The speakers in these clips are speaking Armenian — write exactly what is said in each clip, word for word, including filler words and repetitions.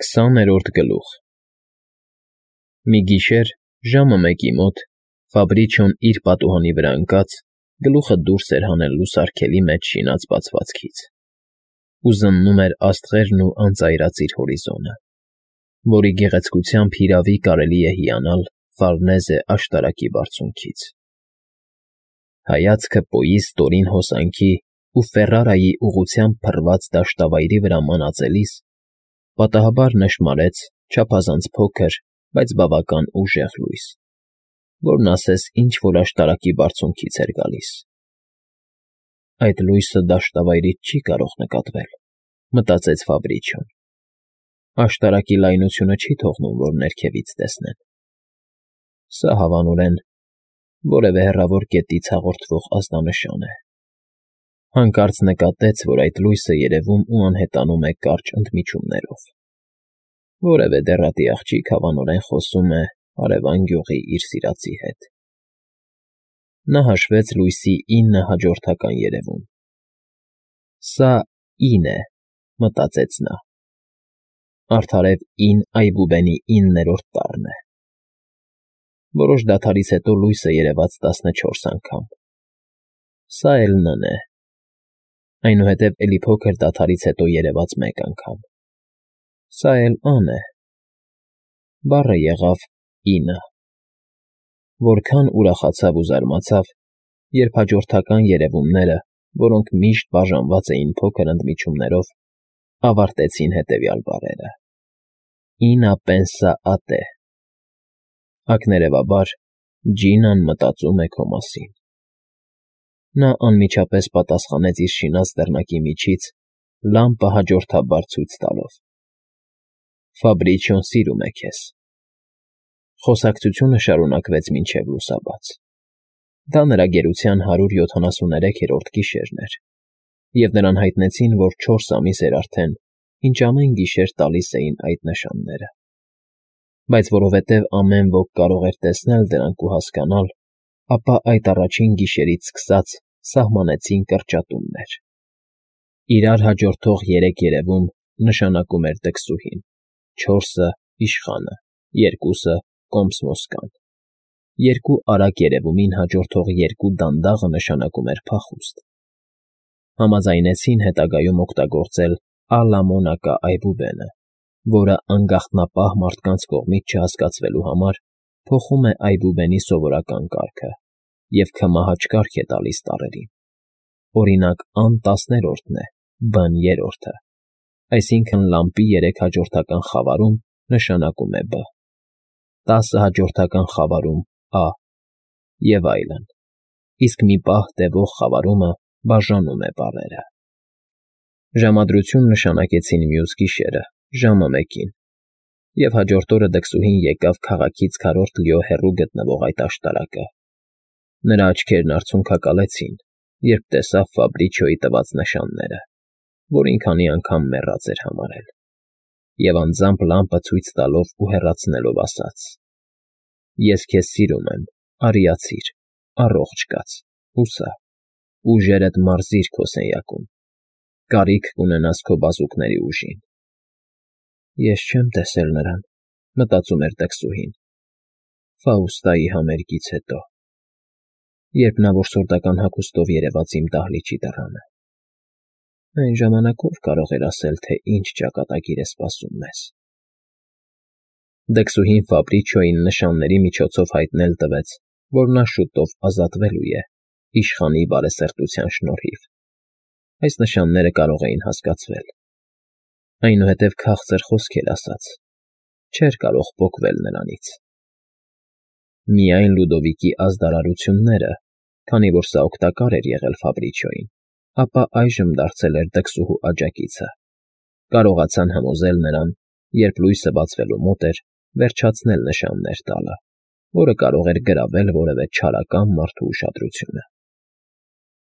Քսաներորդ գլուխ Մի գիշեր, ժամը մեկի մոտ, Ֆաբրիչոն իր պատուհանի վրա ընկած, գլուխը դուրս էր հանել լուսարգելի մեջ շինած բացվածքից, ու զննում էր աստղերն ու անծայրածիր հորիզոնը, որի գեղեցկությամբ հիրավի կարելի է հիանալ Ֆարնեզե աշտարակի բարձունքից. հայացքը պոյի ստորին հոսանքի ու Ֆեռարայի ուղղությամբ փռված դաշտավայրի վրա մանածելիս, պատահաբար նշմարեց չափազանց փոքր, բայց բավական ուժեղ լույս, որն ասես ինչ֊որ աշտարակի բարձունքից էր գալիս։ «Այդ լույսը դաշտավայրից չի կարող նկատվել,֊ մտածեց Ֆաբրիչոն,֊ աշտարակի լայնությունը չի թողնում, որ ներքևից տեսնեն։ Սա հավանորեն որևէ հեռավոր կետից հաղորդվող ազդանշան է»։ Հանկարծ նկատեց, որ այդ լույսը երևում ու անհետանում է կարճ ընդմիջումներով։ Որևէ դեռատի աղջիկ հավանորեն խոսում է հարևան գյուղի իր սիրածի հետ։ Նա հաշվեց լույսի ինը հաջորդական երևում։ «Սա ինն է,֊ մտածեց նա,֊ արդարև ին այբուբենի իններորդ տառն է»։ Որոշ դադարից հետո լույսը երևաց տասնչորս անգամ։ «Սա էլ Ն է,֊ այնուհետև էլի փոքր դադարից հետո երևաց մեկ անգամ։ Սա էլ Ան է,֊ բառը եղավ ինը։ Որքան ուրախացավ ու զարմացավ, երբ հաջորդական երևումները, որոնք միշտ բաժանված էին փոքր ընդմիջումներով, ավարտեցին հետևյալ բառերը. «Ինա պենսա ա տե,֊ ակներևաբար, Ջինան մտածում է քո մասին»։ Նա անմիջապես պատասխանեց իր շինած դռնակի միջից, լամպը հաջորդաբար ցույց տալով. «Ֆաբրիչոն սիրում է քեզ»։ Խոսակցությունը շարունակվեց մինչև լուսաբաց։ Դա նրա գերության հարյուր յոթանասուներեքերորդ գիշերն էր, և նրան հայտնեցին, որ չորս ամիս էր արդեն, ինչ ամեն գիշեր տալիս էին այդ նշանները։ Բայց որովհետև ամեն ոք կարող էր տեսնել դրանք ու հասկանալ, ապա այդ առաջին գիշերից սկսած սահմանեցին կրճատումներ։ Իրար հաջորդող երեք երևում նշանակում էր դքսուհին, չորսը՝ իշխանը, երկուսը՝ կոմսմոսկան, երկու արագ երևումին հաջորդող երկու դանդաղը նշանակում էր փախուստ։ Համաձայնեցին հետագայում օգտագործել Ա՛լա Մոնակա այբուբենը, որը անգաղտնապահ մարդկանց կողմից չհասկացվելու համար փոխում է այբուբենի սովորական կարգը և քմահաճ կարգ է տալիս տառերին։ Օրինակ, Ան տասներորդն է, Բ֊ն երրորդը, այսինքն՝ լամպի երեք հաջորդական խավարում նշանակում է Բ, տասը հաջորդական խավարում՝ Ա և այլն, իսկ մի պահ տևող խավարումը բաժանում է բառերը։ Ժամադրություն նշանակեցին մյուս գիշերը, ժամը մեկին, և հաջորդ օրը դքսուհին եկավ քաղաքից քառորդ լիո հեռու գտնվող այդ աշտարակը։ Նրա աչքերն արցունքակալեցին, երբ տեսավ Ֆաբրիչոյի տված նշանները, որին քանի անգամ մեռած էր համարել, և անձամբ լամպը ցույց տալով ու հեռացնելով ասաց. «Ես քեզ սիրում եմ, արիացիր, առողջ կաց, հուսա, ուժերդ մարզիր քո սենյակում, կարիք կունենաս քո բազուկների ուժին»։ «Ես չեմ տեսել նրան,֊ մտածում էր դքսուհին,֊ Ֆաուստայի համերգից հետո, երբ նա որսորդական հագուստով երևաց իմ դահլիճի դռանը։ Այն ժամանակ ո՞վ կարող էր ասել, թե ինչ ճակատագիր է սպասում մեզ»։ Դքսուհին Ֆաբրիչոյին նշանների միջոցով հայտնել տվեց, որ նա շուտով ազատվելու է, իշխանի բարեսրտության շնորհիվ։ Այս նշանները կարող էին հասկացվել։ Այնուհետև քաղցր խոսքեր ասաց, չէր կարող պոկվել նրանից։ Միայն Լյուդովիկի ազդարարությունները, քանի որ սա օգտակար էր եղել Ֆաբրիչոյին, ապա այժմ դարձել էր դքսուհու աջակիցը, կարողացան համոզել նրան, երբ լույսը բացվելու մոտ էր, վերջացնել նշաններ տալը, որը կարող էր գրավել որևէ չարական մարդու ուշադրությունը։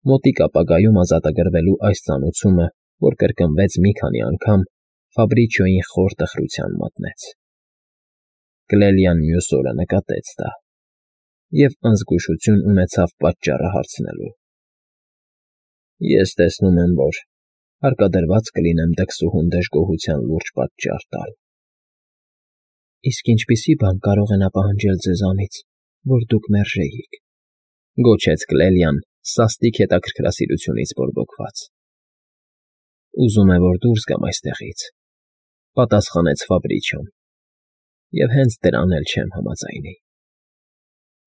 Մոտիկ ապագայում ազատագրվելու այս ծանուցումը, որ կրկնվեց մի քանի անգամ, Ֆաբրիչոյին խոր տխրության մատնեց։ Կլելիան մյուս օրը նկատեց դա և անզգուշություն ունեցավ պատճառը հարցնելու։ «Ես տեսնում եմ, որ հարկադրված կլինեմ դքսուհուն դժգոհության լուրջ պատճառ տալ,֊ Իսկ ինչպիսի՞ բան կարող է նա պահանջել ձեզանից, որ դուք մերժեիք,֊ գոչեց Կլելիան սաստիկ հետաքրքրասիրությունից բորբոքված։ ֊ Ուզում է, որ դուրս գամ այստեղից,֊ պատասխանեց Ֆաբրիչոն,֊ և հենց դրան էլ չեմ համաձայնի։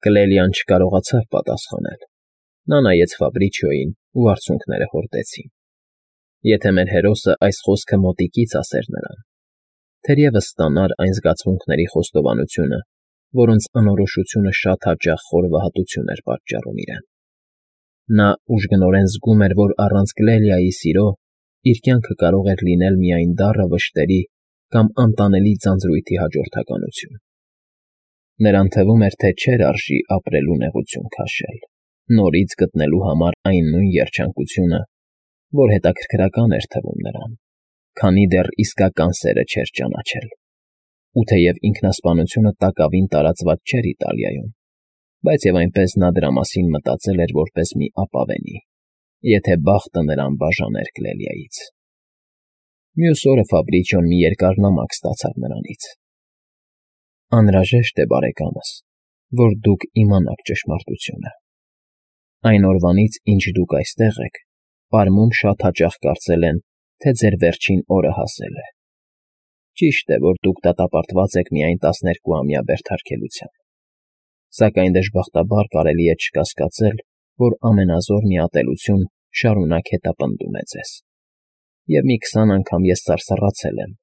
Կլելիան չկարողացավ պատասխանել։ Նա նայեց Ֆաբրիչոյին, ու արցունքները հորդեցին։ Եթե մեր հերոսը այս խոսքը մոտիկից ասեր նրան, թերևս ստանար այն զգացմունքների խոստովանությունը, որոնց անորոշությունը շատ հաճախ խորհրդատվություն էր պատճառում իրեն։ Նա ուժգնորեն զգում էր, որ առանց Կլելիայի սիրո իր կյանքը կարող էր լինել միայն դառը վշտերի կամ անտանելի ձանձրույթի հաջորդականություն։ Նրան թվում էր, թե չէր արժի ապրելու նեղություն քաշել, նորից գտնելու համար այն նույն երջանկությունը, որ հետաքրքրական էր թվում նրան, քանի դեռ իսկական սերը չէր ճանաչել։ Ու թեև ինքնասպանությունը տակավին տարածված չէր Իտալիայում, բայց և այնպես նա դրա մասին մտածել էր որպես մի ապավենի, եթե բախտը նրան բաժաներ Կլելիայից։ Մյուս օրը Ֆաբրիչոն մի երկար նամակ ստացավ նրանից։ Անհրաժեշտ է, բարեկամս, որ դուք իմանաք ճշմարտությունը։ Այն օրվանից, ինչ դուք այստեղ եք, պարմում շատ հաճախ կարծել են, թե ձեր վերջին օրը հասել է։ Ճիշտ է, որ դուք դատապարտված եք միայն տասներկուամյա բերդարկելության, սակայն դժբախտաբար կարելի է չկասկածել, որ ամենազոր մի ատելություն շարունակ հետապնդում է ձեզ։ Եվ մի քսան անգամ ես սարսռացել եմ,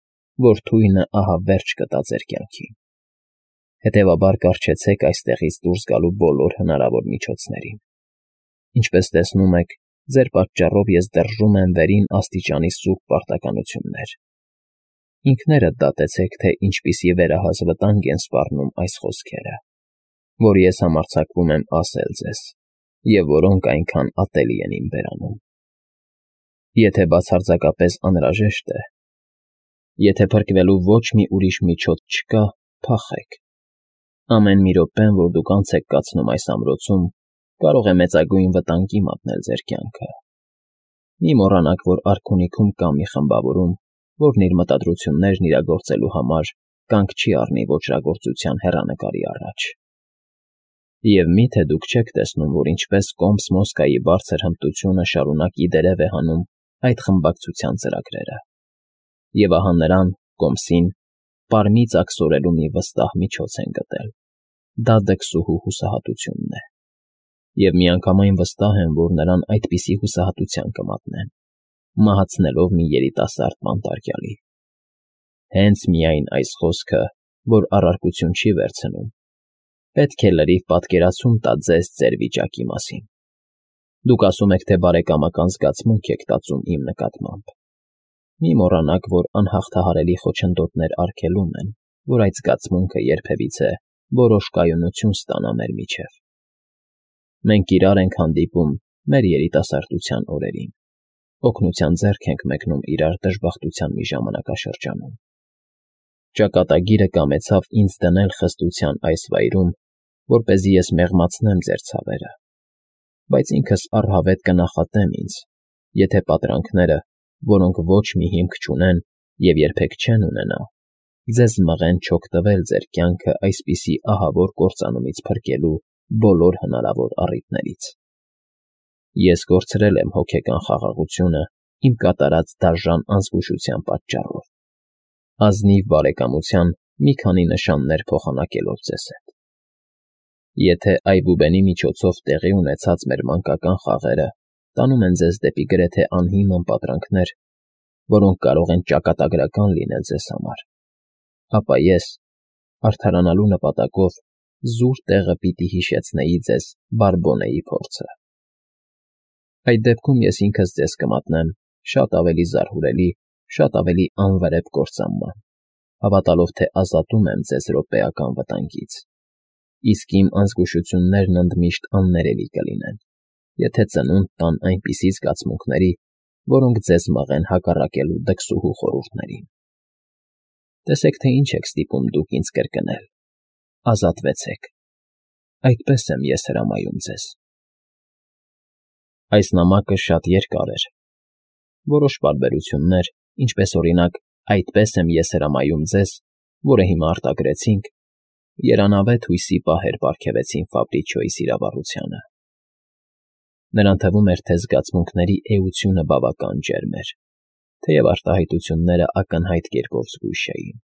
որ թույնը ահա վերջ կտա ձեր կյանքին։ Հետևաբար կառչեցեք այստեղից դուրս գալու բոլոր հնարավոր միջոցներին։ Ինչպես տեսնում եք, ձեր պատճառով ես դրժում եմ վերին աստիճանի սուրբ պարտականություններ։ Ինքներդ դատեցեք, թե ինչպիսի վերահաս վտանգ են սպառնում այս խոսքերը, որ ես համարձակվում եմ ասել ձեզ, և որոնք այնքան ատելի են իմ բերանում։ Եթե բացարձակապես անհրաժեշտ է, եթե փրկվելու ոչ մի ուրիշ միջոց չկա, փախեք։ Ամեն մի րոպեն, որ դուք անց եք կացնում այս ամրոցում, կարող է մեծագույն վտանգի մատնել ձեր կյանքը։ Մի մոռանաք, որ արքունիքում կա մի խմբավորում, որն իր մտադրություններն իրագործելու համար կանգ չի առնի ոճրագործության հեռանկարի առաջ։ Եվ մի՞թե դուք չեք տեսնում, որ ինչպես Կոմս Մոսկայի բարձր հմտությունը շարունակ ի դերև է հանում այդ խմբակցության ծրագրերը։ Եվ ահա նրան, Կոմսին, պարմից աքսորելու մի վստահ միջոց են գտել։ Դա դքսուհու հուսահատությունն է։ Եվ միանգամայն վստահ են, որ նրան այդպիսի հուսահատության կմատնեն, մահացնելով մի երիտասարդ բանտարկյալի։ Հենց միայն այս խոսքը, որ առարկություն չի վերցնում, պետք է լրիվ պատկերացում տա ձեզ ձեր վիճակի մասին։ Դուք ասում եք, թե բարեկամական զգացմունք եք տածում իմ նկատմամբ։ Մի մոռանաք, որ անհաղթահարելի խոչընդոտներ արգելում են, որ այդ զգացմունքը երբևիցե որոշ կայունություն ստանա մեր միջև։ Մենք իրար ենք հանդիպում մեր երիտասարդության օրերին, օգնության ձեռք ենք մեկնում իրար դժբախտության մի ժամանակաշրջանում։ Ճակատագիրը կամեցավ ինձ դնել խստության այս վայրում, որպեսզի ես մեղմացնեմ ձեր ցավերը, բայց ինքս առհավետ կնախատեմ ինձ, եթե պատրանքները, որոնք ոչ մի հիմք չունեն և երբեք չեն ունենա, ձեզ մղեն չօգտվել ձեր կյանքը այսպիսի ահավոր կործանումից փրկելու բոլոր հնարավոր առիթներից։ Ես կորցրել եմ հոգեկան խաղաղությունը իմ կատարած դաժան անզգուշության պատճառով, ազնիվ բարեկամության մի քանի նշաններ փոխանակելով ձեզ հետ։ Եթե այբուբենի միջոցով տեղի ունեցած մեր մանկական խաղերը տանում են ձեզ դեպի գրեթե անհիմն պատրանքներ, որոնք կարող են ճակատագրական լինել ձեզ համար, ապա ես, արդարանալու նպատակով, զուր տեղը պիտի հիշեցնեի ձեզ Բարբոնեի փորձը։ Այդ դեպքում ես ինքս ձեզ կմատնեմ շատ ավելի զարհուրելի, շատ ավելի անվրեպ կործանման, հավատալով, թե ազատում եմ ձեզ րոպեական վտանգից, իսկ իմ անզգուշություններն ընդմիշտ աններելի կլինեն, եթե ծնունդ տան այնպիսի զգացմունքների, որոնք ձեզ մղեն հակառակելու դքսուհու խորհուրդներին։ Տեսեք, թե ինչ եք ստիպում դուք ինձ կրկնել. ազատվեցեք։ Այդպես եմ ես հրամայում ձեզ։ Այս նամակը շատ երկար էր։ Որոշ պարբերություններ, ինչպես օրինակ, այդպես եմ ես հրամայում ձեզ, որը հիմա արտագրեցինք, երանավետ հույսի պահեր պարգևեցին Ֆաբրիչիոյի սիրավառությանը։ Նրան թվում էր, թե զգացմունքների էությունը բավական ջերմ էր, թեև արտահայտությունները ակնհայտ կերպով զգույշ էին։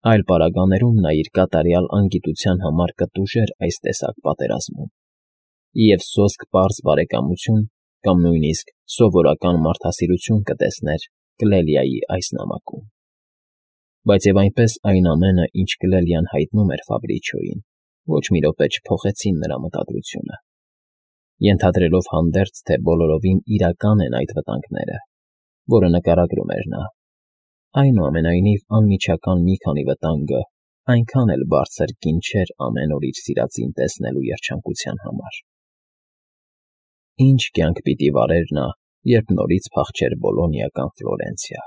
Այլ պարագաներում նա իր կատարյալ անգիտության համար կտուժեր այս տեսակ պատերազմում, և սոսկ պարզ բարեկամություն կամ նույնիսկ սովորական մարդասիրություն կտեսներ Կլելիայի այս նամակում։ Բայց և այնպես այն ամենը, ինչ Կլելիան հայտնում էր Ֆաբրիչիոյին, ոչ մի րոպե չփոխեցին նրա մտադրությունը։ Ենթադրելով հանդերձ, թե բոլորովին իրական են այդ վտանգները, որը նկարագրում էր նա, այնուամենայնիվ անմիջական մի քանի վտանգը այնքան էլ բարձր գին չէր ամեն օր իր սիրածին տեսնելու երջանկության համար։ Ինչ կյանք պիտի վարեր նա, երբ նորից փախչեր Բոլոնիա կամ Ֆլորենցիա,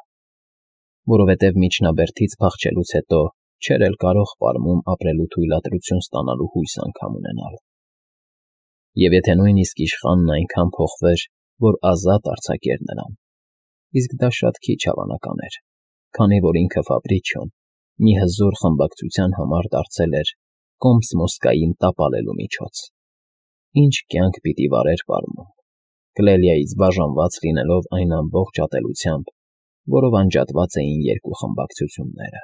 որովհետև միջնաբերդից փախչելուց հետո չէր էլ կարող պարմում ապրելու թույլատրություն ստանալու հույս անգամ ունենալ։ Եվ եթե նույնիսկ իշխանն այնքան փոխվեր, որ ազատ արձակեր նրան, իսկ դա շատ քիչ հավանական էր, քանի որ ինքը Ֆաբրիչիոն մի հզոր խմբակցության համար դարձել էր Կոմս֊Մոսկային տապալելու միջոց։ Ինչ կյանք պիտի վարեր պարմում, Կլելիայից բաժանված լինելով այն ամբողջ ատելությամբ, որով անջատված էին երկու խմբակցությունները։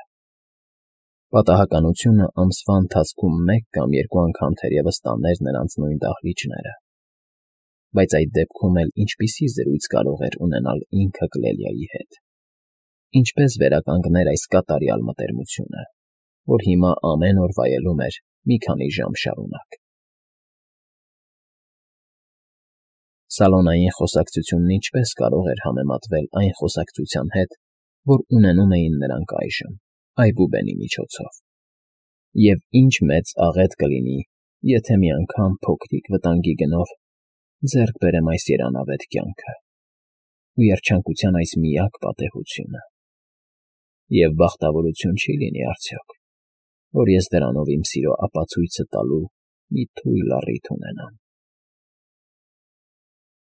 Պատահականությունը ամսվա ընթացքում մեկ կամ երկու անգամ թերևս տաներ նրանց նույն դահլիճները, բայց այդ դեպքում էլ ինչպիսի զրույց կարող էր ունենալ ինքը Կլելիայի հետ, ինչպես վերականգներ այս կատարյալ մտերմությունը, որ հիմա ամեն օր վայելում էր մի քանի ժամ շարունակ։ Սալոնային խոսակցությունն ինչպես կարող էր համեմատվել այն խոսակցության հետ, որ ունենում էին նրանք այժմ, այբուբենի միջոցով, և ինչ մեծ աղետ կլինի, եթե մի անգամ փոքրիկ վտանգի գնով ձեռք բերեմ այս երանավետ կյանքը ու երջանկության այս միակ պատեհությունը, և բախտավորություն չի՞ լինի արդյոք, որ ես դրանով իմ սիրո ապացույցը տալու մի թույլ առիթ ունենամ։